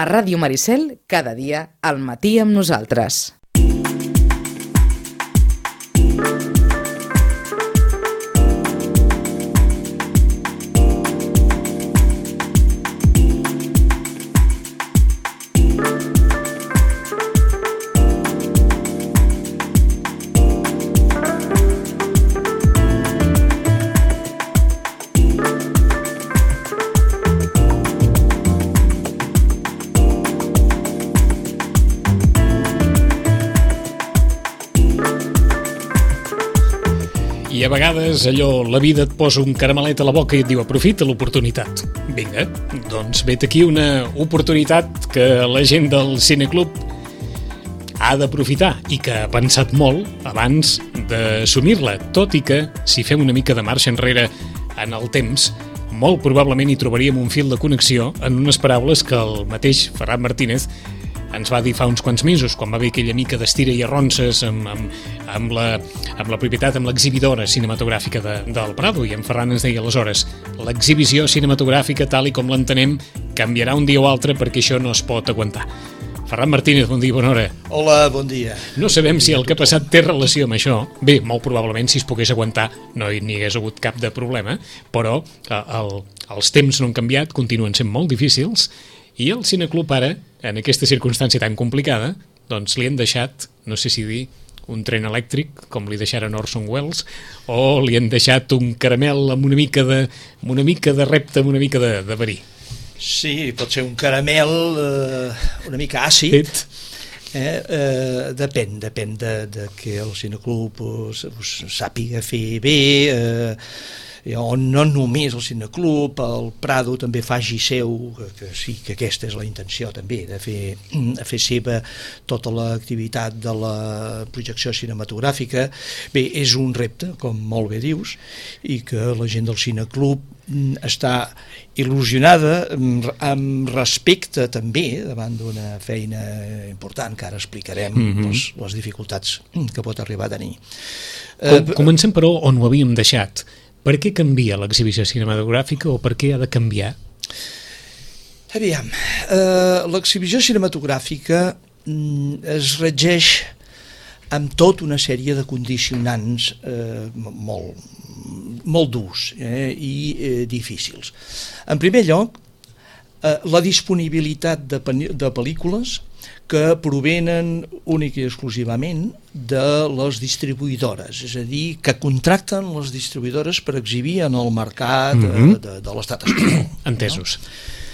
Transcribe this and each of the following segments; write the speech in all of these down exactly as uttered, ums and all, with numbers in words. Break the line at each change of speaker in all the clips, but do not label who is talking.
A Ràdio Maricel, cada dia, al matí amb nosaltres.
I a vegades allò, la vida et posa un caramelet a la boca i et diu aprofita l'oportunitat. Vinga, doncs vet aquí una oportunitat que la gent del Cineclub ha d'aprofitar i que ha pensat molt abans d'assumir-la, tot i que si fem una mica de marxa enrere en el temps, molt probablement hi trobaríem un fil de connexió en unes paraules que el mateix Ferran Martínez ens va dir fa uns quants mesos, quan va haver aquella mica d'estira i arronses amb, amb, amb, la, amb la propietat, amb l'exhibidora cinematogràfica de, del Prado, i en Ferran ens deia aleshores, l'exhibició cinematogràfica tal i com l'entenem canviarà un dia o altre perquè això no es pot aguantar. Ferran Martínez, bon dia, bona hora.
Hola, bon dia.
No sabem si el que ha passat té relació amb això. Bé, molt probablement si es pogués aguantar no hi n'hi hagués hagut cap de problema, però el, els temps no han canviat, continuen sent molt difícils, i el Cineclub ara, en aquesta circumstància tan complicada, doncs li han deixat, no sé si dir, un tren elèctric, com li deixaren Orson Welles, o li han deixat un caramel amb una mica de, amb una mica de repte, amb una mica de, de verí.
Sí, pot ser un caramel eh, una mica àcid. Eh, eh, depèn, depèn de, de que el Cineclub us, us sàpiga fer bé, eh, o no només el Cineclub, el Prado també faci seu, que, que sí que aquesta és la intenció també, de fer, de fer seva tota l'activitat de la projecció cinematogràfica. Bé, és un repte, com molt bé dius, i que la gent del Cineclub està il·lusionada amb respecte també davant d'una feina important que ara explicarem mm-hmm. les, les dificultats que pot arribar a tenir.
Com, comencem però on ho havíem deixat. Per què canvia l'exhibició cinematogràfica o per què ha de canviar?
Aviam, eh, l'exhibició cinematogràfica mm, es regeix amb tota una sèrie de condicionants eh, molt, molt durs eh, i eh, difícils. En primer lloc, eh, la disponibilitat de, de pel·lícules que provenen únic i exclusivament de les distribuïdores, és a dir, que contracten les distribuïdores per exhibir en el mercat mm-hmm. de, de l'estat espanyol.
Entesos. No?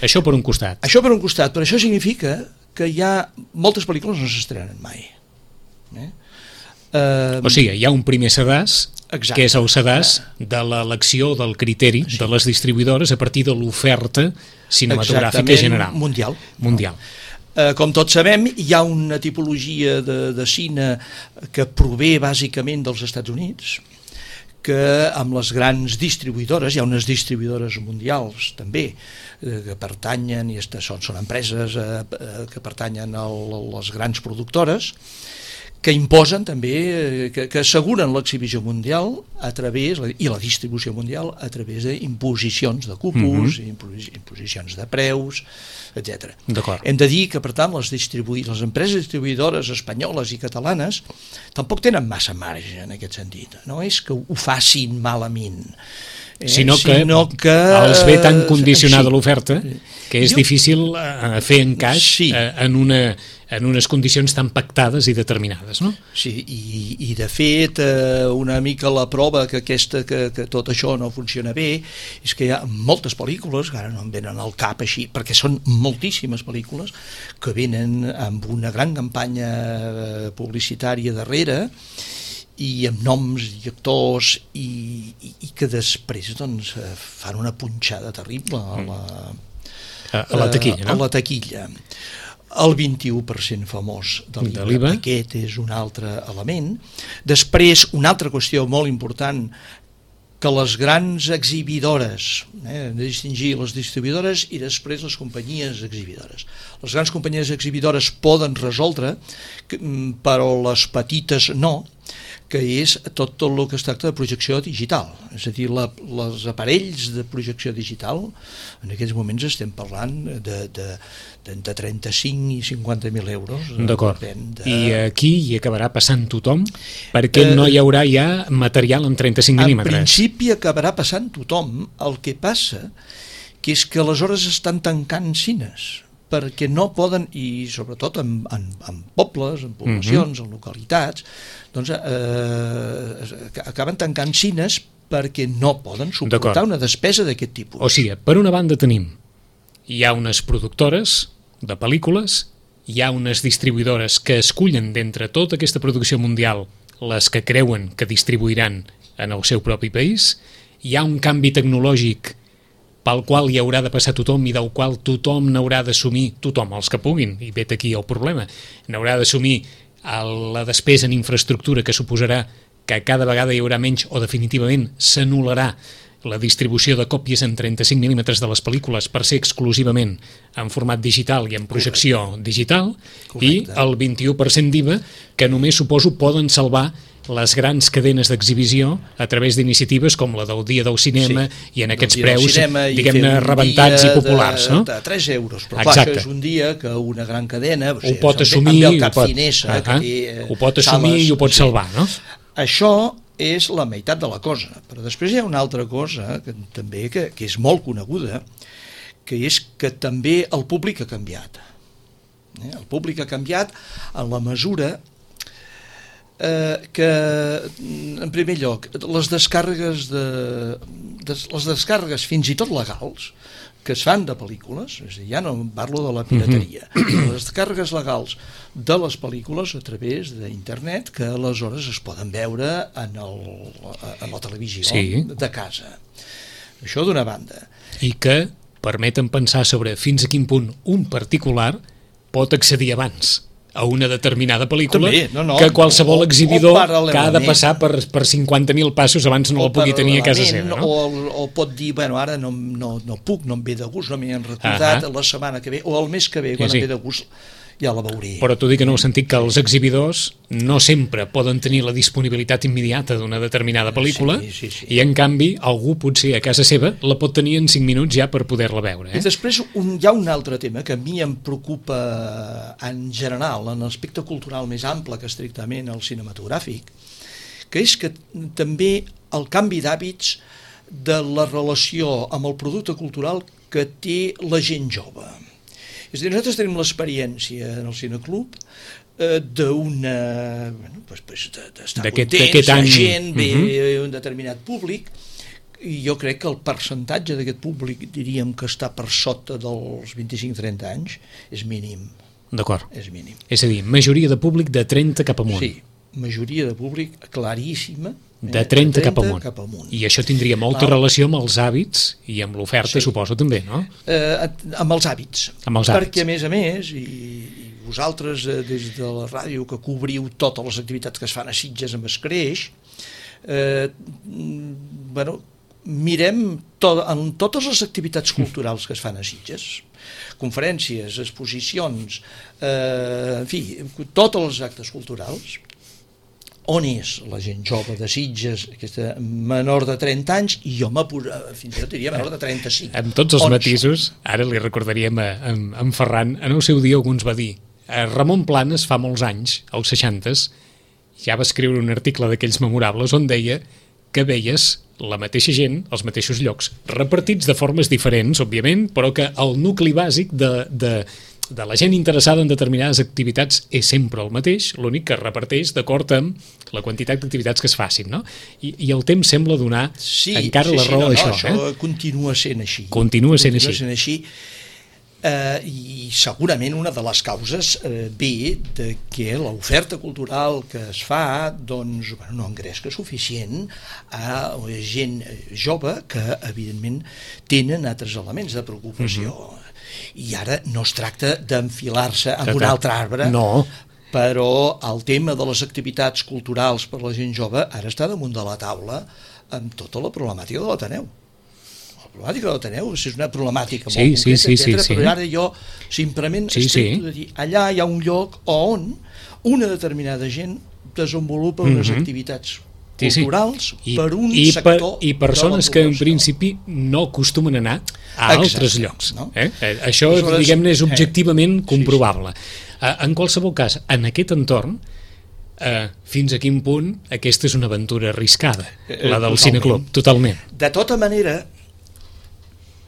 Això per un costat.
Això per un costat, però això significa que hi ha moltes pel·lícules no s'estrenen mai. Eh? Uh,
o sigui, hi ha un primer sedàs, exacte. Que és el sedàs de l'elecció del criteri sí. de les distribuïdores a partir de l'oferta cinematogràfica
exactament,
general.
Mundial.
Mundial.
No. Uh, com tots sabem, hi ha una tipologia de, de cine que prové bàsicament dels Estats Units, que amb les grans distribuïdores, hi ha unes distribuïdores mundials també, eh, que pertanyen, i són, són empreses eh, que pertanyen a les grans productores, que imposen també, que, que asseguren l'exhibició mundial a través, i la distribució mundial a través d'imposicions de cupos, mm-hmm. imposicions de preus, etcètera. Hem de dir que, per tant, les, les empreses distribuïdores espanyoles i catalanes tampoc tenen massa marge en aquest sentit. No és que ho facin malament, eh?
sinó, que
sinó que
els ve tan condicionada sí. l'oferta que és
jo,
difícil eh, fer encaix
sí.
eh, en una en unes condicions tan pactades i determinades, no?
Sí, i, i de fet eh, una mica la prova que, aquesta, que, que tot això no funciona bé és que hi ha moltes pel·lícules, que ara no em venen al cap així, perquè són moltíssimes pel·lícules que venen amb una gran campanya publicitària darrere i amb noms i actors i, i, i que després doncs, fan una punxada terrible a la,
a, a la taquilla, no?
A la taquilla. El vint-i-u per cent famós de l'I V A, aquest és un altre element. Després, una altra qüestió molt important, que les grans exhibidores, eh, hem de distingir les distribuïdores i després les companyies exhibidores. Les grans companyies exhibidores poden resoldre, però les petites no, que és tot, tot el que es tracta de projecció digital, és a dir, la, els aparells de projecció digital, en aquests moments estem parlant de, de, de, de trenta-cinc i cinquanta mil euros.
D'acord,
de...
i aquí hi acabarà passant tothom, perquè eh, no hi haurà ja material en trenta-cinc mil·límetres.
En principi acabarà passant tothom, el que passa que és que aleshores estan tancant cines, perquè no poden, i sobretot en, en, en pobles, en poblacions, uh-huh. en localitats, doncs eh, acaben tancant cines perquè no poden suportar una despesa d'aquest tipus.
O sigui, per una banda tenim, hi ha unes productores de pel·lícules, hi ha unes distribuïdores que escullen d'entre tota aquesta producció mundial les que creuen que distribuiran en el seu propi país, hi ha un canvi tecnològic pel qual hi haurà de passar tothom i del qual tothom n'haurà d'assumir, tothom, els que puguin, i vet aquí el problema, n'haurà d'assumir la despesa en infraestructura que suposarà que cada vegada hi haurà menys o definitivament s'anul·larà la distribució de còpies en trenta-cinc mil·límetres de les pel·lícules per ser exclusivament en format digital i en projecció Correcte. digital. Correcte. I el vint-i-u per cent d'I V A que només suposo poden salvar les grans cadenes d'exhibició a través d'iniciatives com la del Dia del Cinema sí, i en aquests preus, diguem-ne, rebentats i populars.
De,
no?
de tres euros, però clar, això és un dia que una gran cadena
ho pot assumir,
ho
pot,
Finesa, uh -huh, té,
ho pot assumir i ho pot sí. salvar, no?
Això és la meitat de la cosa, però després hi ha una altra cosa que també que, que és molt coneguda, que és que també el públic ha canviat. Eh? El públic ha canviat en la mesura eh, que, en primer lloc, les descàrregues de, de, les descàrregues fins i tot legals que es fan de pel·lícules, és a dir, ja no parlo de la pirateria, mm-hmm. les descàrregues legals de les pel·lícules a través d'internet que aleshores es poden veure en, el, en la televisió sí. de casa. Això d'una banda.
I que permeten pensar sobre fins a quin punt un particular pot accedir abans a una determinada pel·lícula També, no, no, que qualsevol o, exhibidor o que ha de passar per, per cinquanta mil passos abans no la pugui tenir a casa seva. No?
O, o pot dir, bueno, ara no, no, no puc, no em ve de gust, no m'hi han recordat, uh -huh. la setmana que ve, o el mes que ve, quan sí, sí. em ve de gust, ja la veuré.
Però t'ho dic en el sentit que els exhibidors no sempre poden tenir la disponibilitat immediata d'una determinada pel·lícula sí, sí, sí. i en canvi algú potser a casa seva la pot tenir en cinc minuts ja per poder-la veure. Eh?
I després un, hi ha un altre tema que a mi em preocupa en general, en l'aspecte cultural més ample que estrictament el cinematogràfic, que és que també el canvi d'hàbits de la relació amb el producte cultural que té la gent jove. És a dir, nosaltres tenim l'experiència en el Cineclub eh, d'una... Bueno, pues, pues, d'estar contents, la gent ve uh-huh. un determinat públic, i jo crec que el percentatge d'aquest públic, diríem que està per sota dels vint-i-cinc a trenta anys, és mínim.
D'acord.
És mínim.
És a dir, majoria de públic de trenta cap amunt.
Sí, majoria de públic claríssima,
de trenta cap amunt. cap amunt. I això tindria molta Val. relació amb els hàbits i amb l'oferta, sí. suposo, també, no?
Eh, amb els hàbits.
Amb els hàbits.
Perquè, a més a més, i, i vosaltres, eh, des de la ràdio, que cobriu totes les activitats que es fan a Sitges amb Escreix, eh, bueno, mirem to, en totes les activitats culturals que es fan a Sitges, conferències, exposicions, eh, en fi, tots els actes culturals, on és la gent jove de Sitges, aquesta menor de trenta anys, i jo fins i tot diria menor de trenta-cinc.
Amb tots els on matisos, són? Ara li recordaríem a, a, a en Ferran, en el seu dia algú ens va dir, Ramon Planes fa molts anys, als seixantes, ja va escriure un article d'aquells memorables on deia que veies la mateixa gent, als mateixos llocs, repartits de formes diferents, òbviament, però que el nucli bàsic de... de de la gent interessada en determinades activitats és sempre el mateix, l'únic que reparteix d'acord amb la quantitat d'activitats que es facin, no? I, i el temps sembla donar
sí,
encara
sí,
la
sí,
raó
no,
a això.
No, això
eh?
continua sent així.
Continua sent
continua
així.
Sent així. Eh, I segurament una de les causes eh, ve de que l'oferta cultural que es fa doncs, bueno, no engresca suficient a gent jove que evidentment tenen altres elements de preocupació. Uh-huh. I ara no es tracta d'enfilar-se en un altre arbre,
no.
però el tema de les activitats culturals per la gent jove ara està damunt de la taula amb tota la problemàtica de l'Ateneu. La problemàtica de l'Ateneu és una problemàtica
sí,
molt
sí,
concreta,
sí,
etcètera,
sí, sí.
però ara jo simplement
sí,
estic
sí.
de dir, allà hi ha un lloc on una determinada gent desenvolupa unes
Mhm.
activitats
Sí, sí.
culturals
I,
per un
i
sector
per, i persones
de la
que en
població.
principi no acostumen a anar a
Exacte,
altres llocs.
no?
Eh? Eh, Això,
Aleshores,
diguem-ne, és
eh,
objectivament
sí,
comprovable. Eh, En qualsevol cas, en aquest entorn, eh, fins a quin punt aquesta és una aventura arriscada,
Eh,
la del
totalment.
cineclub, totalment.
De tota manera,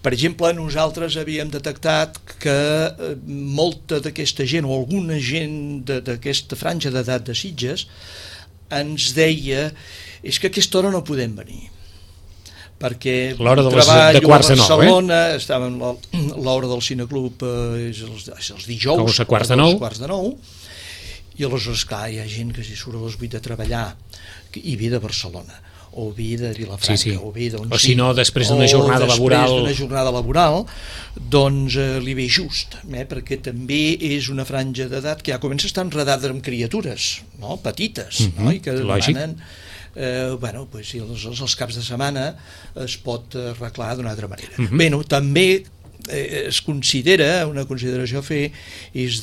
per exemple, nosaltres havíem detectat que eh, molta d'aquesta gent, o alguna gent de- d'aquesta franja d'edat de Sitges, ens deia és que a aquesta hora no podem venir perquè
L'hora de les-
treballo
de quarts
a
de nou, eh?
Barcelona, estàvem l'hora l'hora del cineclub eh, és, els, és els dijous
Dijous a quarts de
dos
nou.
quarts de nou, i aleshores clar, hi ha gent que si surt a les vuit de treballar i ve de Barcelona o ve de Vilafranca,
Sí, sí.
o ve d'on
O si no, després d'una
o
jornada
després
laboral.
d'una jornada laboral, doncs eh, li ve just, eh, perquè també és una franja d'edat que ja comença a estar enredada amb criatures, no? Petites,
Mhm,
no? I que
lògic.
demanen eh, bueno, pues, si els, els caps de setmana es pot arreglar d'una altra manera.
Mhm.
Bé, no, també eh, es considera, una consideració a fer és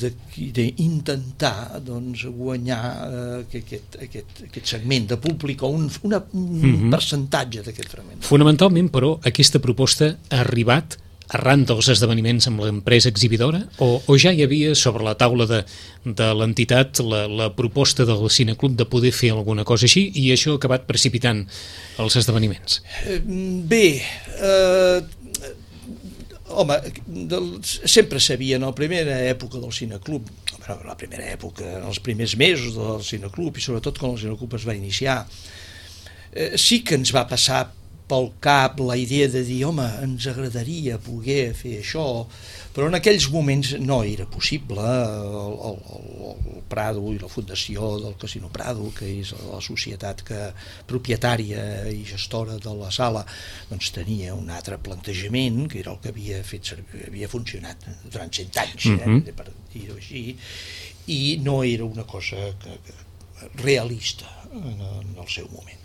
d'intentar doncs, guanyar eh, aquest, aquest, aquest segment de públic o un, una, un
Mhm.
percentatge d'aquest fragment.
Fonamentalment, però, aquesta proposta ha arribat arran dels esdeveniments amb l'empresa exhibidora o, o ja hi havia sobre la taula de, de l'entitat la, la proposta del cineclub de poder fer alguna cosa així i això ha acabat precipitant els esdeveniments?
Eh, Bé, eh, home, del, sempre sabia, en la primera època del cineclub, bueno, la primera època, en els primers mesos del cineclub i sobretot quan el cineclub es va iniciar, eh, sí que ens va passar pel cap la idea de dir, home, ens agradaria poder fer això, però en aquells moments no era possible. El, el, el Prado i la fundació del Casino Prado, que és la societat que, propietària i gestora de la sala, doncs tenia un altre plantejament, que era el que havia fet servir, havia funcionat durant cent anys,
Mhm.
eh, per dir-ho així, i no era una cosa que, que, realista en, en el seu moment.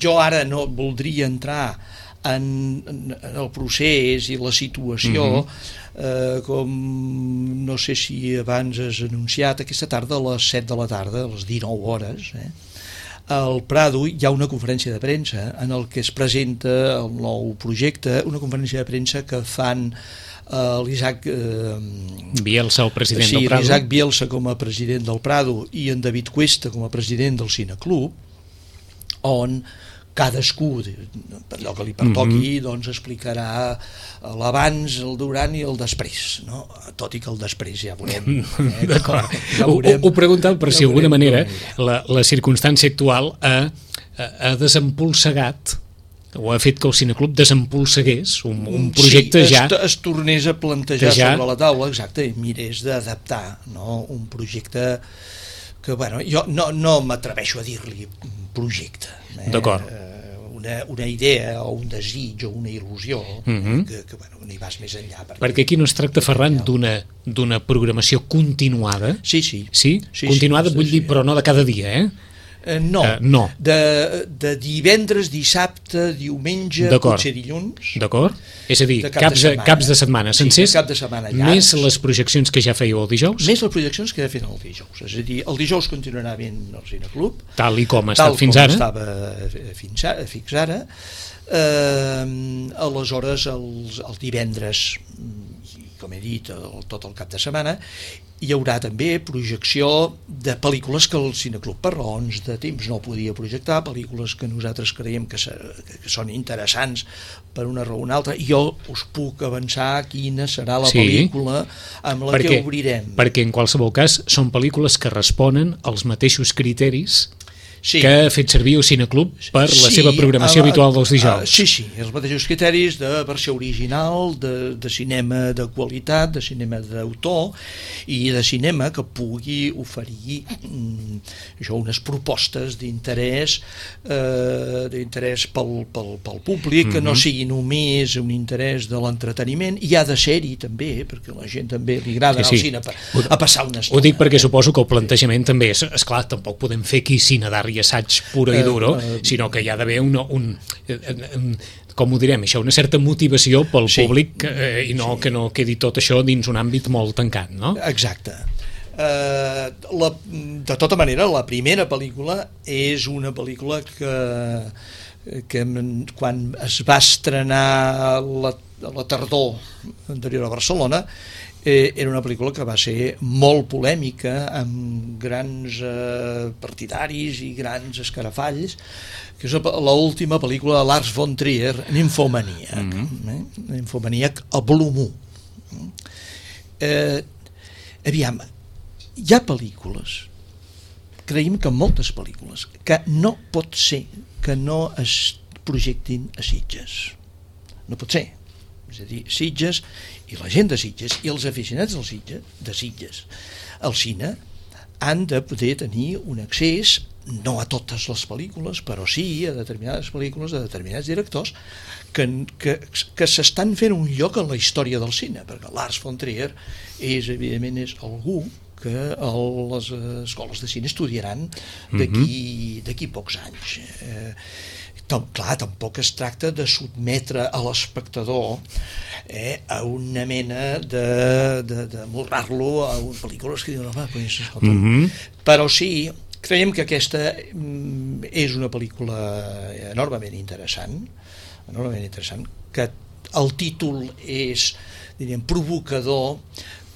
Jo ara no voldria entrar en, en el procés i la situació, mm-hmm. eh, com no sé si abans has anunciat, aquesta tarda a les set de la tarda, a les dinou hores, eh, al Prado hi ha una conferència de premsa en el que es presenta el nou projecte, una conferència de premsa que fan Uh, l'Isaac uh,
Bielsa, el president
sí,
del Prado.
l'Isaac Bielsa com a president del Prado i en David Cuesta com a president del Cineclub, on cadascú, per allò que li pertoqui, mm-hmm. doncs explicarà l'abans, el durant i el després, no? Tot i que el després ja veurem. Eh?
D'acord.
Ja
ho, ho, ho preguntava per
ja
si d'alguna manera
veurem.
la, la circumstància actual ha, ha desempolsegat o ha fet que el cineclub desempolsegués un, un projecte
sí,
ja...
es, es tornés a plantejar
ja...
sobre la taula, exacte, i mirés d'adaptar, no? Un projecte que, bueno, jo no, no m'atreveixo a dir-li projecte. Eh?
D'acord.
Una, una idea o un desig o una il·lusió
Mm-hmm.
que, que bueno, n'hi vas més enllà. Perquè,
Perquè aquí no es tracta, Ferran, d'una d'una programació continuada.
Sí, sí.
Sí?
Sí,
continuada,
sí,
vull
sí.
dir, però no de cada dia, eh?
Eh, no,
Uh, no.
De, de divendres, dissabte, diumenge,
D'acord.
potser dilluns.
D'acord? És a dir,
De cap de
caps de,
setmana.
caps de setmana
Sí,
sencers,
de cap de setmana llargs.
més les projeccions que ja fèieu el dijous,
Més les projeccions que he fet el dijous. És a dir, el dijous continuarà ben el Cineclub,
tal i com ha
tal
estat fins
com
ara.
estava fins ara, fins ara. Eh, aleshores, els, els divendres, i com he dit, el, tot el cap de setmana, hi haurà també projecció de pel·lícules que el Cineclub per raons de temps no podia projectar, pel·lícules que nosaltres creiem que, se, que són interessants per una raó o una altra. Jo us puc avançar quina serà la
Sí.
pel·lícula amb la
perquè,
que obrirem.
perquè en qualsevol cas són pel·lícules que responen als mateixos criteris
Sí.
que ha fet servir el Cineclub per la
Sí,
seva programació
a-
habitual dels dijous.
a- Sí, sí, els mateixos criteris de versió original, de, de cinema de qualitat, de cinema d'autor i de cinema que pugui oferir mm, això, unes propostes d'interès eh, d'interès pel, pel, pel públic, que no
Mhm.
sigui només un interès de l'entreteniment, i ha de ser-hi també, perquè a la gent també li agrada
Que
anar
sí.
al cine a, a passar una estona.
Ho dic perquè suposo que el plantejament també és, esclar, tampoc podem fer aquí cine d'art i assaig puro i
Eh,
duro,
eh,
sinó que hi ha d'haver un, un, un, com ho direm, això, una certa motivació pel
Sí.
públic eh, i no
Sí.
que no quedi tot això dins un àmbit molt tancat, no?
Exacte. Eh, la, de tota manera, la primera pel·lícula és una pel·lícula que, que quan es va estrenar la, la tardor anterior a Barcelona, eh, era una pel·lícula que va ser molt polèmica, amb grans eh, partidaris i grans escarafalls, que és l'última pel·lícula de Lars von Trier, Nymphomaniac. Mm-hmm. eh? Nymphomaniac, el volum u. Eh, aviam, hi ha pel·lícules, creiem que moltes pel·lícules, que no pot ser que no es projectin a Sitges. No pot ser. És a dir, Sitges i la gent de Sitges i els aficionats del Sitges, de Sitges al cine han de poder tenir un accés, no a totes les pel·lícules, però sí a determinades pel·lícules de determinats directors que, que, que s'estan fent un lloc en la història del cine, perquè Lars von Trier és, evidentment, és algú que les escoles de cine estudiaran d'aquí d'aquí pocs anys. Eh, Tom, clar, tampoc es tracta de sotmetre a l'espectador eh, a una mena de, de, de morrar-lo a unes pel·lícules que diuen, home, pues, escolta. Mm-hmm. Però sí, creiem que aquesta mm, és una pel·lícula enormement interessant, enormement interessant, que el títol és, diríem, provocador,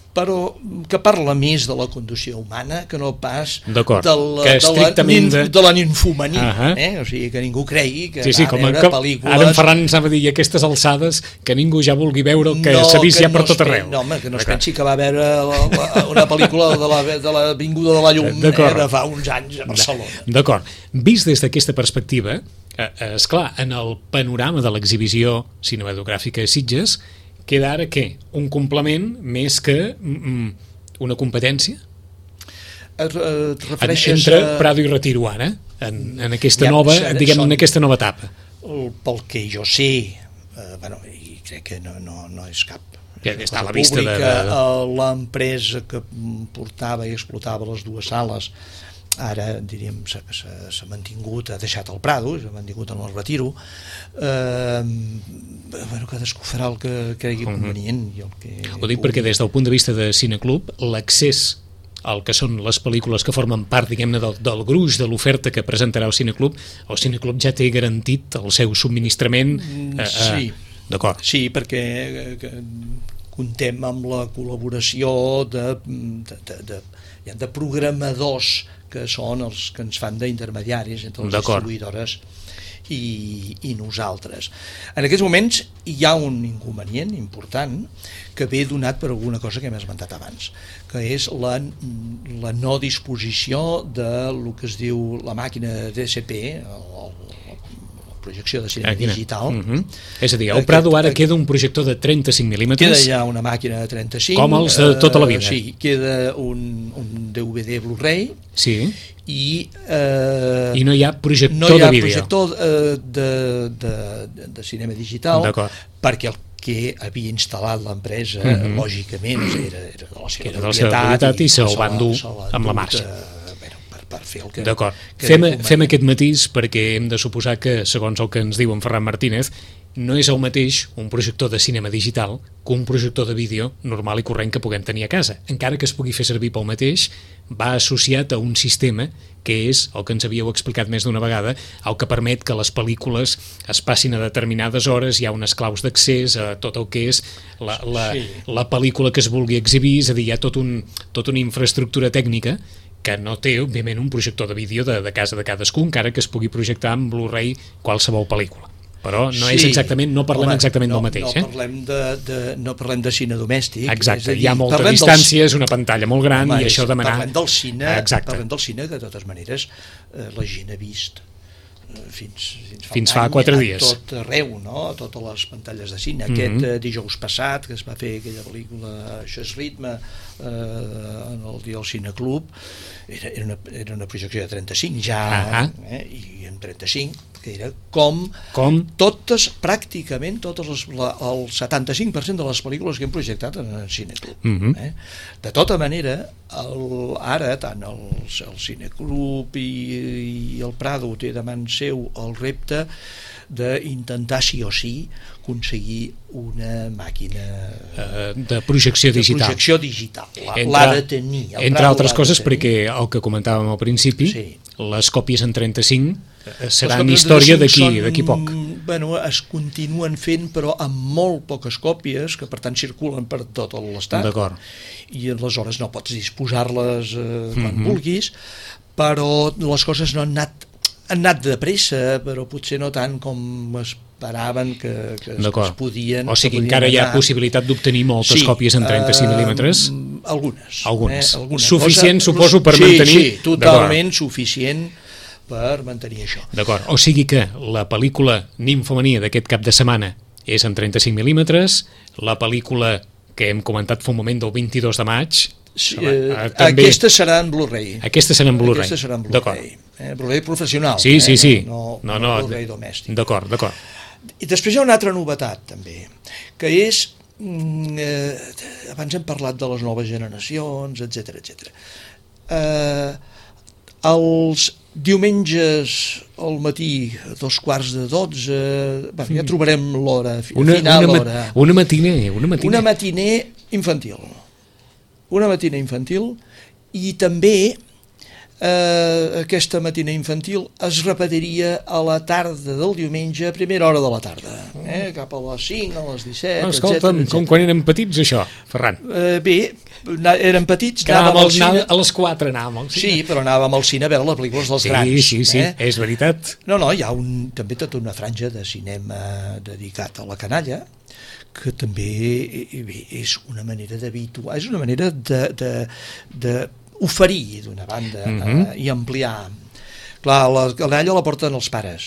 però que parla més de la condició humana que no pas de la, de, la, de... de la ninfomania. Uh-huh. eh? O sigui, que ningú cregui que sí, sí, va a veure que, pel·lícules...
Ara en Ferran ens anava a dir a aquestes alçades que ningú ja vulgui veure el que no, s'ha vist ja per no tot arreu.
No, home, que no es pensi que va veure la, la, una pel·lícula de la, de la Vinguda de la Llum eh, de fa uns anys a Barcelona.
D'acord. Vist des d'aquesta perspectiva, eh, esclar, en el panorama de l'exhibició cinematogràfica a Sitges, queda ara què? Un complement més que mm, una competència?
Et, et refereixes
entre
a...
Prado i Retiro ara, en, en aquesta ja, nova, diguem, en aquesta nova etapa.
El, pel que jo sé, eh, bueno, i crec que no, no, no és cap
ja està a la vista de, de...
l'empresa que portava i explotava les dues sales ara, diríem, s'ha mantingut, ha deixat el Prado, s'ha mantingut en el Retiro. Eh, bueno, cadascú farà el que cregui convenient. I el que
Ho dic perquè des del punt de vista de Cineclub, l'accés al que són les pel·lícules que formen part, diguem-ne, del, del gruix de l'oferta que presentarà el Cineclub, el Cineclub ja té garantit el seu subministrament. Eh,
sí,
eh, d'acord.
Sí, perquè que, contem amb la col·laboració de, de, de, de, de programadors que són els que ens fan d'intermediaris entre les distribuïdores i, i nosaltres. En aquests moments hi ha un inconvenient important que ve donat per alguna cosa que hem esmentat abans, que és la, la no disposició de lo que es diu la màquina D C P, el, projecció de cinema Aquí, digital. Uh-huh.
És a dir, el Prado ara queda un projector de trenta-cinc mil·límetres.
Queda ja una màquina de trenta-cinc.
Com els de tota la vida.
Uh, sí, queda un, un D V D Blu-ray.
Sí.
I, uh,
I no hi ha projector de vídeo.
No hi ha projector uh, de, de, de, de cinema digital.
D'acord.
Perquè el que havia instal·lat l'empresa, uh-huh. lògicament, era, era de la seva
era de la seva propietat i, i se'l van dur amb la marxa.
Per fer el que...
D'acord. Fem, fem aquest matís perquè hem de suposar que, segons el que ens diu en Ferran Martínez, no és el mateix un projector de cinema digital que un projector de vídeo normal i corrent que puguem tenir a casa. Encara que es pugui fer servir pel mateix, va associat a un sistema que és, el que ens havíeu explicat més d'una vegada, el que permet que les pel·lícules es passin a determinades hores, hi ha unes claus d'accés a tot el que és la, la, sí. la pel·lícula que es vulgui exhibir, és a dir, hi ha tot un, tota una infraestructura tècnica que no té, òbviament, un projector de vídeo de, de casa de cadascú, encara que es pugui projectar amb Blu-ray qualsevol pel·lícula. Però no sí. és exactament, no parlem Home, exactament
no,
del mateix.
No,
eh?
parlem de, de, no parlem de cine domèstic.
Exacte, dir, hi ha molta distància, del... és una pantalla molt gran. Home, i això demanar...
Parlem del cine, parlem del cine que de totes maneres eh, la gent ha vist fins, fins, fa,
fins fa quatre dies
a tot arreu, no? A totes les pantalles de cine. Mm-hmm. Aquest eh, dijous passat que es va fer aquella pel·lícula Això és ritme eh, en el dia del Cineclub, era, era, una, era una projecció de trenta-cinc ja, uh-huh. eh, i en trenta-cinc que era com,
com?
totes, pràcticament totes les, la, el setanta-cinc per cent de les pel·lícules que hem projectat en el Cineclub. Mm-hmm. eh? De tota manera, el, ara tant el, el Cineclub i, i el Prado té davant seu el repte d'intentar sí o sí aconseguir una màquina
uh, de projecció digital.
De projecció digital.
L'ha
Entre, de tenir.
Entre altres coses, perquè el que comentàvem al principi, sí. les còpies en trenta-cinc seran història d'aquí poc.
Bueno, es continuen fent, però amb molt poques còpies, que per tant circulen per tot l'estat.
D'acord.
I aleshores no pots disposar-les eh, quan mm-hmm. vulguis, però les coses no han anat, han anat de pressa, però potser no tant com esperaven que, que, es, que es podien.
O sigui,
podien
encara
anar.
Hi ha possibilitat d'obtenir moltes
sí,
còpies en trenta-cinc mil·límetres?
Uh, algunes.
Algunes.
Eh, algunes.
Suficient,
Cosa,
suposo, per
sí,
mantenir...
Sí, totalment suficient per mantenir això.
D'acord, o sigui que la pel·lícula Nimfomania d'aquest cap de setmana és en trenta-cinc mil·límetres, la pel·lícula que hem comentat fa un moment del vint-i-dos de maig...
Sí, eh, també... Aquesta serà en Blu-ray.
Aquesta serà en Blu-ray.
Aquesta serà en Blu-ray. Eh, Blu-ray professional.
Sí, sí, sí.
Eh? No,
no,
no,
no,
Blu-ray domèstic.
D'acord, d'acord.
I després hi ha una altra novetat, també, que és... Eh, abans hem parlat de les noves generacions, etcètera, etcètera. Eh, els diumenges al matí, a dos quarts de dotze, bueno, ja trobarem l'hora
una,
final.
Una,
hora.
una matiner, una matiner.
Una matiner infantil. Una matina infantil i també eh, aquesta matina infantil es repetiria a la tarda del diumenge, a primera hora de la tarda, eh, cap a les cinc, a les disset,
no, escolta'm, etcètera, com quan érem petits, això, Ferran.
Eh, bé, érem petits,
que anàvem al cine... A les quatre anàvem al cine.
Sí, però anàvem al cine a veure les pel·lícules dels
sí,
grans.
Sí, sí,
eh?
és veritat.
No, no, hi ha un, també tota una franja de cinema dedicat a la canalla, que també bé, és una manera d'habituar, és una manera de, de, de oferir d'una banda uh-huh. eh, i ampliar. Clar, la canalla la porten els pares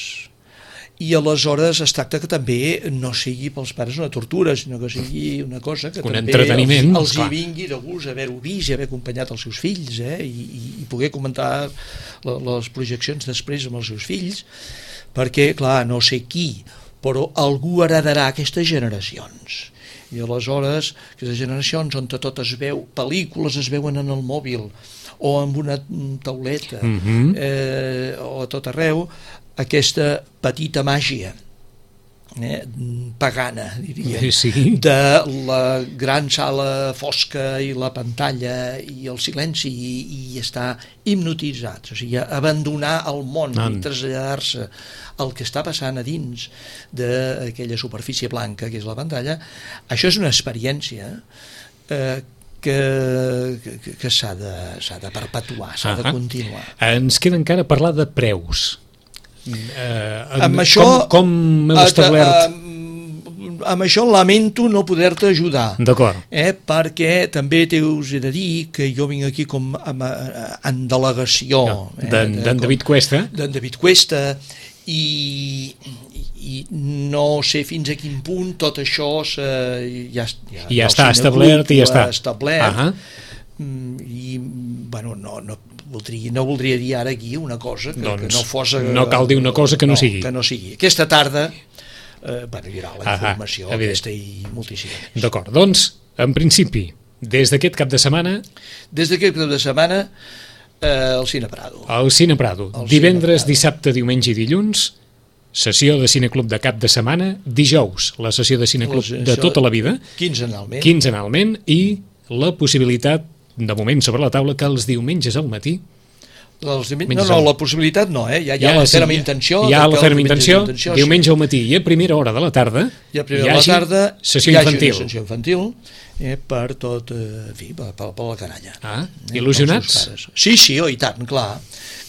i aleshores es tracta que també no sigui pels pares una tortura, sinó que sigui una cosa que
un
també
els,
els hi vingui de gust haver-ho vist i haver acompanyat els seus fills, eh, i, i poder comentar la, les projeccions després amb els seus fills, perquè, clar, no sé qui, però algú heredarà aquestes generacions. I aleshores, aquestes generacions on tot es veu, pel·lícules es veuen en el mòbil, o amb una tauleta, mm-hmm. eh, o a tot arreu, aquesta petita màgia eh, pagana, diria,
sí.
de la gran sala fosca i la pantalla i el silenci i, i estar hipnotitzats, o sigui, abandonar el món no. i traslladar-se el que està passant a dins d'aquella superfície blanca que és la pantalla. Això és una experiència eh, que, que, que s'ha de, s'ha de perpetuar, s'ha uh-huh. de continuar.
Ens queda encara parlar de preus. Eh,
amb això,
com, com heu establert?
Amb, amb això lamento no poder-te ajudar.
D'acord.
Eh, perquè també us he de dir que jo vinc aquí com amb, en delegació no,
eh, d'en David Cuesta.
D'en David Cuesta i, i no sé fins a quin punt tot això se, ja, ja,
ja està establert i ja està
establert uh-huh. i bueno, no, no, voldria, no voldria dir ara aquí una cosa que, doncs, que no fos
no cal dir una cosa que no, no sigui
que no sigui. Aquesta tarda eh, bueno, hi haurà la informació uh-huh. aquesta i moltíssima més.
D'acord, doncs en principi des d'aquest cap de setmana
des d'aquest cap de setmana Eh, el Cine Prado.
El Cine Prado. El Divendres, Cine Prado. Dissabte, diumenge i dilluns, sessió de cineclub de cap de setmana, dijous, la sessió de cineclub de tota la vida,
quinzenalment.
quinzenalment, i la possibilitat, de moment sobre la taula, que els diumenges al matí
Els diumenges, no, no, la possibilitat no, eh? hi ha, hi ha ja, la ferma sí, intenció.
Hi ha la ferma intenció, intenció, diumenge al matí i a primera hora de la tarda
i a primera hora de la tarda
sessió infantil.
Sessió infantil eh, per tot, eh, en fi, per, per, per la canalla.
Ah, eh, il·lusionats?
Sí, sí, oh, i tant, clar.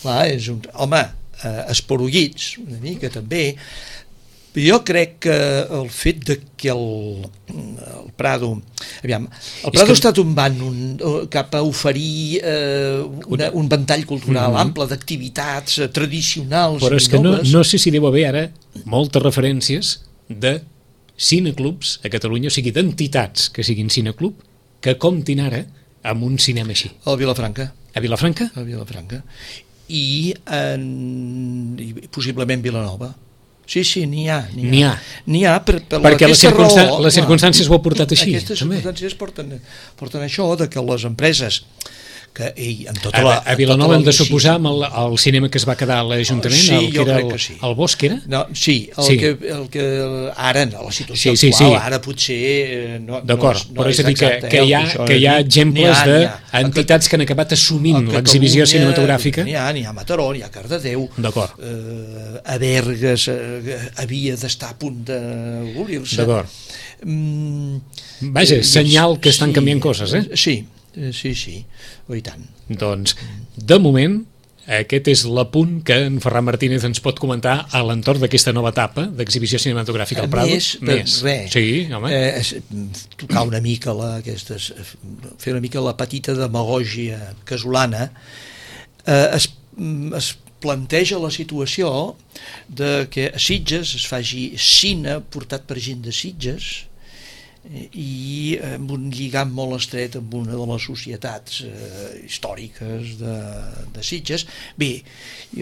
clar és un, home, eh, esporuguits, una mica també. Jo crec que el fet de que el, el Prado aviam, el Prado que... està tombant un, cap a oferir eh, una, un ventall cultural mm-hmm. ample d'activitats tradicionals
però és que no, no sé si deu haver ara moltes referències de cineclubs a Catalunya, o sigui d'entitats que siguin cineclub que comptin ara amb un cinema així.
A Vilafranca.
A Vilafranca?
A Vilafranca. I, en, i possiblement Vilanova. Sí, sí, n'hi ha. N'hi ha,
n'hi ha.
N'hi ha per, per
perquè les, circunstan
raó,
les circumstàncies ho ha portat així.
Aquestes
també.
circumstàncies porten, porten això de que les empreses que ell, amb tota
A,
la...
a Vilanova hem de suposar amb el, el cinema que es va quedar a l'Ajuntament,
Sí,
el que
jo
era
crec
el,
que sí.
el Bosc, era?
No, sí, el,
Sí.
Que, el que ara, en la situació
Sí, sí,
actual,
sí.
ara potser eh, no,
D'acord,
no és, no
però és a dir que,
exacte,
que,
eh,
hi ha,
això,
que hi ha
n'hi
exemples
ha, n'hi ha.
d'entitats que han acabat assumint
A
l'exhibició
Catalunya
cinematogràfica.
N'hi ha, n'hi ha a Mataró, n'hi ha a Cardedeu,
D'acord.
eh, a Bergues eh, havia d'estar a punt d'obrir-se.
D'acord.
Mm,
Vaja,
eh,
senyal que estan
sí,
canviant coses, eh?
Sí, eh, sí, sí, oh, i tant.
Doncs, de moment, aquest és l'apunt que en Ferran Martínez ens pot comentar a l'entorn d'aquesta nova etapa d'exhibició cinematogràfica al Prado.
Més, més. Res,
Sí, home.
eh, es- tocar una mica la, aquestes, fer una mica la petita demagògia casolana, eh, es, es planteja la situació de que a Sitges es faci cine portat per gent de Sitges i amb un lligam molt estret amb una de les societats eh, històriques de, de Sitges. Bé,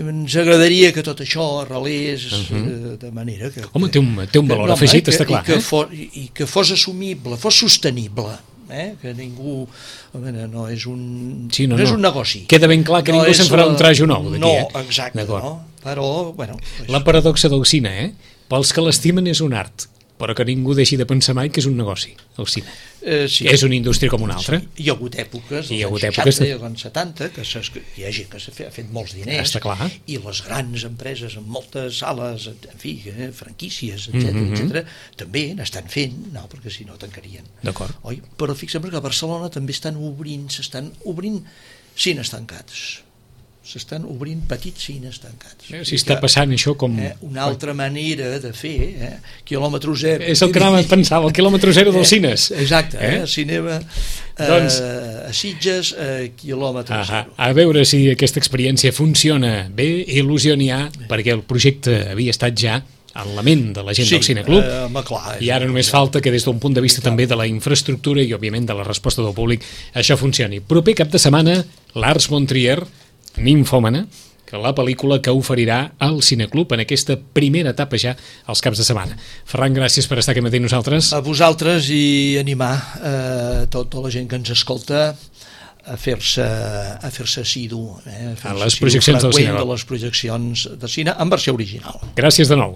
ens agradaria que tot això arrelés uh -huh. eh, de manera que...
Home, té un, té un valor
no,
afegit,
que,
està clar.
I que,
eh?
fos, I que fos assumible, fos sostenible, eh? Que ningú... Home, no és un,
Sí, no,
no, és
no.
un negoci.
Queda ben clar que
No
ningú
és
se'n farà un
la-
trajo nou d'aquí,
no,
eh?
exacte,
D'acord.
no? Però, bueno... Pues,
La paradoxa del cine, eh? Pels que l'estimen és un art, però que ningú deixi de pensar mai que és un negoci, el cine.
eh, sí.
És una indústria com una altra.
Sí. Hi ha hagut èpoques,
Hi ha
als
hagut
anys
èpoques
seixanta
de-
i als anys setanta, que s'ha- que hi ha gent que s'ha fet, ha fet molts diners,
Està clar.
i les grans empreses amb moltes sales, en fi, eh, franquícies, etcètera,
Mhm.
etcètera, també n'estan fent, no, perquè si no tancarien.
D'acord.
Oi? Però fixem que a Barcelona també estan obrint, s'estan obrint cines tancats. S'estan obrint petits cines tancats.
Eh, Si està passant això com...
Eh, una altra manera de fer, eh? quilòmetre zero.
És el que anava a pensar, el quilòmetre zero dels cines.
Exacte, eh?
Eh?
cinema eh,
Doncs-
a Sitges, eh, quilòmetre
Ah,
zero.
a veure si aquesta experiència funciona bé, il·lusió n'hi ha, perquè el projecte havia estat ja en la ment de la gent del Cineclub,
eh, home, clar, és-
i ara només falta que des d'un punt de vista també de la infraestructura i òbviament de la resposta del públic això funcioni. Proper cap de setmana, l'Ars Montrier, Ninfòmana, que la pel·lícula que oferirà al Cineclub en aquesta primera etapa ja als caps de setmana. Ferran, gràcies per estar aquí matí amb nosaltres.
A vosaltres i animar eh, tota la gent que ens escolta a fer-se a fer-se assidu, eh, a,
A
fer-se
les
assidu
projeccions del
freqüent
cinema.
de les projeccions de cine en versió original.
Gràcies de nou.